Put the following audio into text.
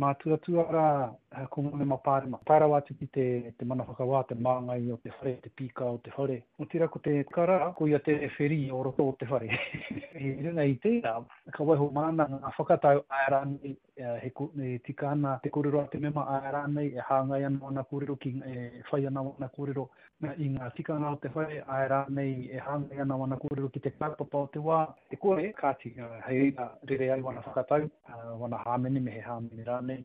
Mātuatua rā ko ngā mema pāremata, tae rawa atu ki te te mana whakawā, te māngai o te whare, te pīka o te whare. Otirā ko te kara, ko ia te rewherī o roto o te whare. I runga i tērā, ka waiho māna ngā whakatau, āe rānei he e tika ana te kōrero a te mema, āe rānei e hāngai ana wana kōrero ki, e whai ana wana kōrero i ngā tikanga o te whare, āe rānei e hāngai ana wana kōrero ki te kaupapa o te wā, te kore, kāti, hei reira rere ai wana whakatau, wana hāmene me he hāmene rānei.